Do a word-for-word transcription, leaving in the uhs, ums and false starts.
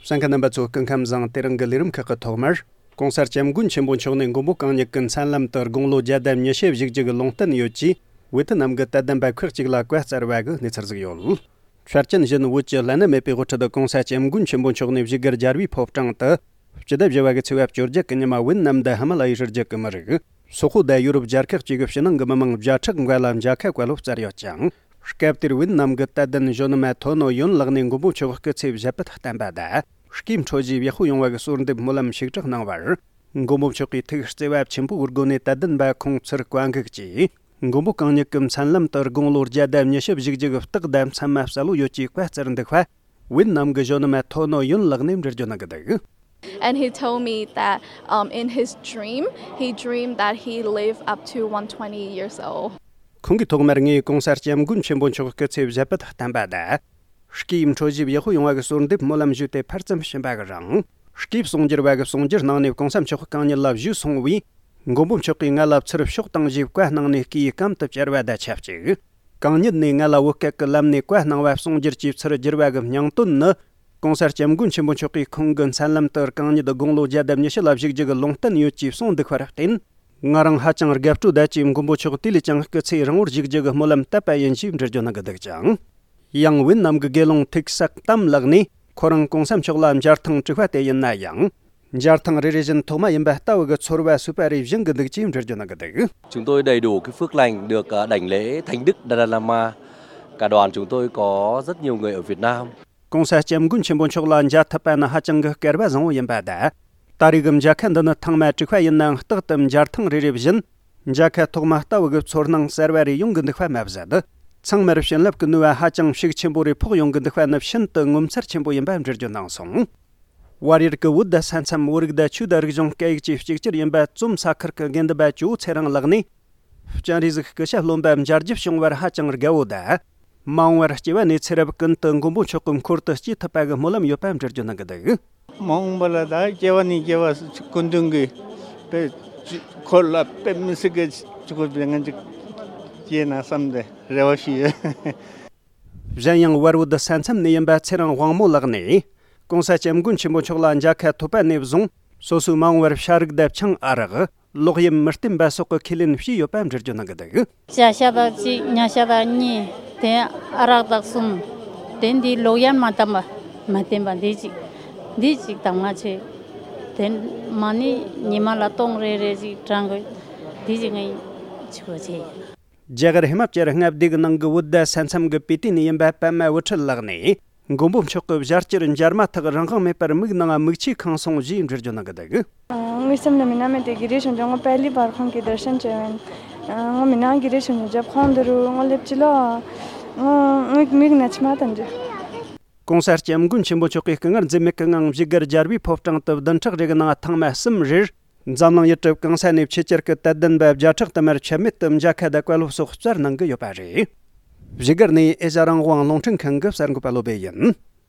གསན་མཁན་རྣམ་པ་ཚོ། སྐུ་ཁམས་བཟང་། དེ་རིང་གི་ལས་རིམ་ཁག་གི་ཐོག་མར། ༸གོང་ས་༸སྐྱབས་མགོན་ཆེན་པོ་མཆོག་ནས་མགོན་པོ་གང་ཉིད་ཀྱི་མཚན་ལམ་དུ་དགུང་ལོ་བརྒྱད་དང་ཉི་ཤུ་བཞུགས་རྒྱུ་གི་ལུང་བསྟན་ཡོད་ཅེས། ཝེ་ཐི་ནམ་གྱི་དད་ལྡན་པ་ཁག་ཅིག་ལ་བཀའ་སྩལ་བ་གི་གནས་ཚུལ་ཟིག་ཡོད། ཆར་ཅན་བཞིན་བོད་ཀྱི་བླ་ན་མེད་པའི་དབུ་ཁྲིད་༸གོང་ས་༸སྐྱབས་མགོན་ཆེན་པོ་མཆོག་ནས་བཞུགས་སྒར་རྒྱལ་བའི་ཕོ་བྲང་དུ། སྤྱི་ཟླ་བཞི་བ་གི་ཚེས་པ་བཅོ་བརྒྱད་གི་ཉི་མ་ཝེ་ནམ་དང་ཧི་མ་ལ་ཡའི་རི་རྒྱུད་ཀྱི་མི་རིགས། སོག་པོ་དང་ཡོ་རོབ་རྒྱལ་ཁག་ཅིག་གི་ཕྱི་ནང་གི་མི་མང་བརྒྱ་ཕྲག་འགའ་ལ་མཇལ་ཁ་བཀའ་སློབ་སྩལ་ཡོད་ཅིང་། སྐབས་དེར་ཝེ་ནམ་གྱི་དད་ལྡན་གཞོན་ནུ་མ་ཐོ་ནོ་ཡོན་ལགས་ནས་མགོན་པོ་མཆོག་སྐུ་ཚེ་བཞད་པད་བསྟན་པ་དང་། སྐྱེས་འཕྲོ་བཞིའི་ཡག་པོ་ཡོང་བ་གི་གསོལ་འདེབས་སྨོན་ལམ་ཞིག་གྲགས་གནང་བར། མགོན་པོ་མཆོག་གིས་ཐུགས་བརྩེ་བ་ཆེན་པོའི་སྒོ་ནས་དད་ལྡན་པ་ཁོང་ཚོར་བཀའ་འགུགས་ཀྱིས། མགོན་པོ་གང་ཉིད་ཀྱི་མཚན་ལམ་དུ་དགུང་ལོ་བརྒྱད་དང་ཉི་ཤུ་བཞུགས་རྒྱུ་གི་རྟགས་དང་མཚན་མ་གསལ་བོ་ཡོད་ཅེས་བཀའ་སྩལ་འདུག་པ། ཝེ་ནམ་གྱི་གཞོན་ནུ་མ་ཐོ་ནོ་ཡོན་ལགས་ནས་འགྲེལ་བརྗོད་གནང་གི་འདུག། And he told me that, um, in his dream, he dreamed that he lived up to one twenty years old. ཁོང་གིས་ཐོག་མར་ངས་༸གོང་ས་༸སྐྱབས་མགོན་ཆེན་པོ་མཆོག་སྐུ་ཚེ་བཞད་པད་བརྟན་པ་དང་། སྐྱེས་འཕྲོ་བཞིའི་ཡག་པོ་ཡོང་བ་གི་གསོལ་འདེབས་སྨོན་ལམ་ཞུས་ཏེ་ཕར་ཙམ་ཕྱིན་པ་གི་རིང་། སྐྱེས་གསུང་སྒྱུར་བ་གི་གསུང་སྒྱུར་གནང་ནས་༸གོང་ས་མཆོག་གང་ཉིད་ལ་བཞུགས་སོང་བས། མགོན་པོ་མཆོག་གིས་ང་ལ་ཚུར་ཕྱོགས་དང་ཞེས་བཀའ་གནང་ནས་སྐུའི་གམ་དུ་བཅར་བ་དང་ཆབས་ཅིག། གང་ཉིད་ནས་ང་ལ་བོད་སྐད་ཀྱི་ལམ་ནས་བཀའ་གནང་བ་གསུང་སྒྱུར་གྱིས་ཚུར་བསྒྱུར་བ་གི་སྙིང་དོན་ནི། ༸གོང་ས་༸སྐྱབས་མགོན་ཆེན་པོ་མཆོག་གིས་ཁོང་གི་མཚན་ལམ་དུ་གང་ཉིད་དགུང་ལོ་བརྒྱ་དང་ཉི་ཤུ་ལ་བཞུགས་རྒྱུ་གི་ལུང་བསྟན་ཡོད་ཅེས་གསུངས་འདུག་པར་བརྟེན། ང་རང་ཧ་ཅང་དགའ་སྤྲོ་དད་ཅིང་མགོན་པོ་མཆོག་དེ་ལས་ཀྱང་སྐུ་ཚེ་རིང་བོར་བཞུགས་རྒྱུ་གི་སྨོན་ལམ་བཏབ་པ་ཡིན་ཞེས་འགྲེལ་བརྗོད་གནང་གི་འདུག་ཅིང་། ཡང་ཝེ་ནམ་གྱི་དགེ་སློང་ཐིག་སག་ཏམ་ལགས་ནས་ཁོ་རང་༸གོང་ས་མཆོག་ལ་མཇལ་ཐེངས་དྲུག་པ་དེ་ཡིན་ན་ཡང་། མཇལ་ཐེངས་རེ་རེ་བཞིན་ཐོག་མ་ཡིན་པ་ལྟ་བུ་གི་ཚོར་བ་སོས་པ་རེ་བཞིན་གྱི་འདུག་ཅེས་འགྲེལ་བརྗོད་གནང་གི་འདུག། Chúng tôi đầy đủ cái phước lành được, à, đảnh lễ Thánh Đức Dalai Lama. Cả đoàn chúng tôi có rất nhiều người ở Việt Nam. ༸གོང་ས་༸སྐྱབས་མགོན་ཆེན་པོ་མཆོག་ལ་མཇལ་ཐུབ་པ་ནི་ཧ་ཅང་གི་སྐལ་བ་བཟང་བོ་ཡིན་པ་དང་། ད་རེས་ཀྱི་མཇལ་ཁ་འདི་ནི་ཐེངས་མ་དྲུག་པ་ཡིན་ནའང་རྟག་ཏུ་མཇལ་ཐེངས་རེ་རེ་བཞིན། མཇལ་ཁ་ཐོག་མ་ལྟ་བུ་གི་ཚོར་སྣང་གསར་བ་རེ་ཡོང་གི་འདུག་པ་མ་ཟད། ཚང་མར་བྱིན་རླབས་ཀྱི་ནུས་པ་ཧ་ཅང་ཤུགས་ཆེན་པོ་རེ་ཕོག་ཡོང་གི་འདུག་པ་ནི་ཤིན་ཏུ་ངོ་མཚར་ཆེན་པོ་ཡིན་པ་འགྲེལ་བརྗོད་གནང་སོང་། བལ་ཡུལ་གྱི་བོད་ས་མཚམས་བོད་རིགས་དང་ཆོས་དང་རིག་གཞུང་སྐད་ཡིག་བཅས་གཅིག་གྱུར་ཡིན་པ་ཙུམ་ས་ཁུལ་གྱི་དགེ་འདུན་པ་ཇོ་བོ་ཚེ་རིང་ལགས་ནས། སྤྱན་རས་གཟིགས་སྐུ་ཞབས་སློབ་མ་མཇལ་རྒྱུ་བྱུང་བར་ཧ་ཅང་དགའ་བོ་དང་། མ་འོངས་པར་སྐྱེ་བ་ནས་ཚེ་རབས་ཀུན་ཏུ་མགོན་པོ་མཆོག་གི་འཁོར་དུ་སྐྱེ་ཐུབ་པ་གི་སྨོན་ལམ་ཡོད་པ་འགྲེལ་བརྗོད་གནང་གི་འདུག། མ་འོངས་པ་ལ་ད་སྐྱེ་བ་ནས་སྐྱེ་བ་སྐུ་མདུན་གྱི་དཔེ་འཁོར་ལ་དཔེ་མི་སྲིད་ཀྱི་ཆུ་ཁོལ་པའི་ངན་ཅིག་སྐྱེས་ན་བསམ་སྟེ་རེ་བ་ཞུས་ཡོད། གཞན་ཡང་བལ་བོད་ས་མཚམས་ནས་ཡིན་པ་ཚེ་རིང་དབང་མོ་ལགས་ནས། ༸གོང་ས་༸སྐྱབས་མགོན་ཆེན་པོ་མཆོག་ལ་མཇལ་ཁ་ཐོབ་པ་ནས་བཟུང་སོ་སོའི་མ་འོངས་པར་ཤ་རུག་དང་ཆང་ཨ་རག་ལོག་གཡེམ་མི་བསྟེན་པ་སོགས་ཀྱི་ཁས་ལེན་བྱས་ཡོད་པ་འགྲེལ་བརྗོད་གནང་གི་འདུག། ཇ་ཤ་དང་གཅིག་ཉ་ཤ་དང་གཉིས། དེ་ཨ་རག་དང་གསུམ། དེ་འདི་ལོག་གཡེམ་མ་བཏང་པ་མ་བསྟེན་པ་འདི་གཅིག། འདི་གཅིག་དང་མ་ཆེ། དེ་མ་ནི་ཉི་མ་ལ་སྟོང་རེ་རེ་ཅིག་དྲང་དགོས། འདི་གཅིག་ངས་ཆུ་བོ་ཆེ། རྒྱ་གར་ཧི་མ་ཅལ་མངའ་སྡེ་གི་ནང་གི་བོད་ས་མཚམས་ཀྱི་པི་ཏི་ནས་ཡིན་པ་པད་མ་བུ་ཁྲིད་ལགས་ནས། མགོན་པོ་མཆོག་གི་ཞལ་སྤྱིར་མཇལ་མ་ཐག་རང་དབང་མེད་པར་མིག་ནང་མིག་ཆུ་ཁེངས་སོང་ཞེས་འགྲེལ་བརྗོད་གནང་གི་འདུག། ངའི་སེམས་ལ་མི་སྣང་མེད་དེ་གི་རེ་བྱུང་ཅོག་ངོ་པད་ལི་བར་ཁང་གི་དར་ཤན་བྱས་ཡིན། ངོ་མི་སྣང་གི་རེ་བྱུང་ཅོག་རྒྱབ་ཁོང་འདི་རུ་ངོ་སླེབས་ཅི་ལོ། ངོ་ངའི་མིག་ན་མཆི་མ་དང་འདྲ། ༸གོང་ས་༸སྐྱབས་མགོན་ཆེན་པོ་མཆོག་གིས་སྐུ་ངལ་འཛེམས་མེད་ཀྱི་ངང་བཞུགས་སྒར་རྒྱལ་བའི་ཕོ་བྲང་དུ་བདུན་ཕྲག་རེ་གི་ནང་ཐེངས་མ་གསུམ་རེར། འཛམ་གླིང་ཡུལ་གྲུ་གང་ས་ནས་ཆེད་བཅར་གྱི་དད་ལྡན་པ་བརྒྱ་ཕྲག་དུ་མར་ཆད་མེད་དུ་མཇལ་ཁ་དང་བཀའ་སློབ་སོགས་སྩལ་གནང་གི་ཡོད་པ་རེད། བཞུགས་སྒར་ནས་ཨེ་ཤ་རང་དབང་རླུང་འཕྲིན་ཁང་གི་གསར་འགོད་པ་བློ་བྷེ་ཡིན།